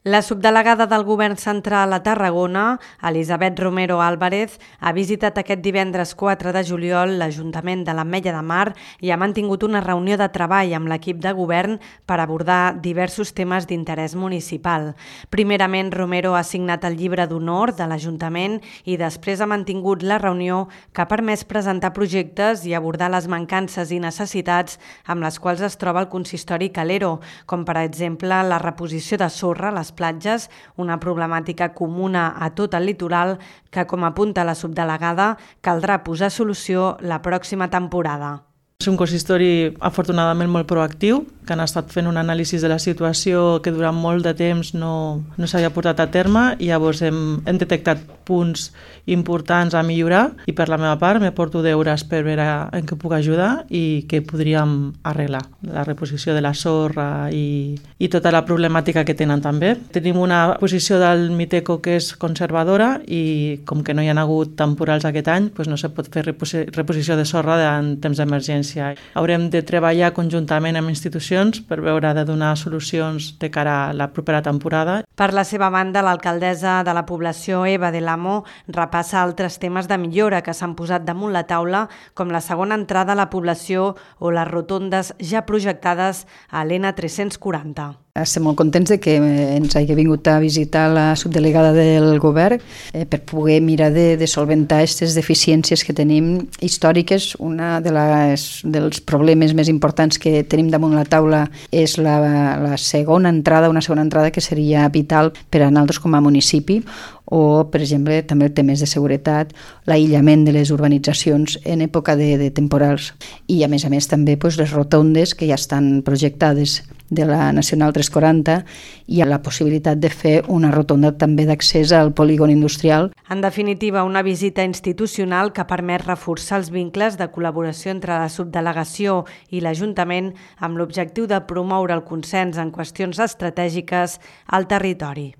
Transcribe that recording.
La subdelegada del Govern Central a Tarragona, Elisabet Romero Álvarez, ha visitat aquest divendres 4 de juliol l'Ajuntament de l'Ametlla de Mar i ha mantingut una reunió de treball amb l'equip de govern per abordar diversos temes d'interès municipal. Primerament, Romero ha signat el llibre d'honor de l'Ajuntament i després ha mantingut la reunió que ha permès presentar projectes i abordar les mancances i necessitats amb les quals es troba el consistori Calero, com per exemple la reposició de sorra a les platges, una problemàtica comuna a tot el litoral que, com apunta la subdelegada, caldrà posar solució la pròxima temporada. És un consistori afortunadament molt proactiu, que han estat fent un anàlisi de la situació que durant molt de temps no s'havia portat a terme i llavors hem detectat punts importants a millorar i per la meva part me porto deures per veure en què puc ajudar i què podríem arreglar. La reposició de la sorra i tota la problemàtica que tenen també. Tenim una posició del Miteco que és conservadora i com que no hi ha hagut temporals aquest any, doncs no se pot fer reposició de sorra en temps d'emergència. Haurem de treballar conjuntament amb institucions per veure de donar solucions de cara a la propera temporada. Per la seva banda, l'alcaldessa de la població, Eva del Amo, repassa altres temes de millora que s'han posat damunt la taula, com la segona entrada a la població o les rotondes ja projectades a l'N340. Estem molt contents que ens hagi vingut a visitar la subdelegada del govern per poder mirar de solventar aquestes deficiències que tenim històriques. Una dels problemes més importants que tenim damunt la taula és la segona entrada, una segona entrada que seria vital per a nosaltres com a municipi, o, per exemple, també temes de seguretat, l'aïllament de les urbanitzacions en època de temporals. I, a més, també les rotondes que ja estan projectades de la Nacional 340 i la possibilitat de fer una rotonda també d'accés al polígon industrial. En definitiva, una visita institucional que permet reforçar els vincles de col·laboració entre la subdelegació i l'Ajuntament amb l'objectiu de promoure el consens en qüestions estratègiques al territori.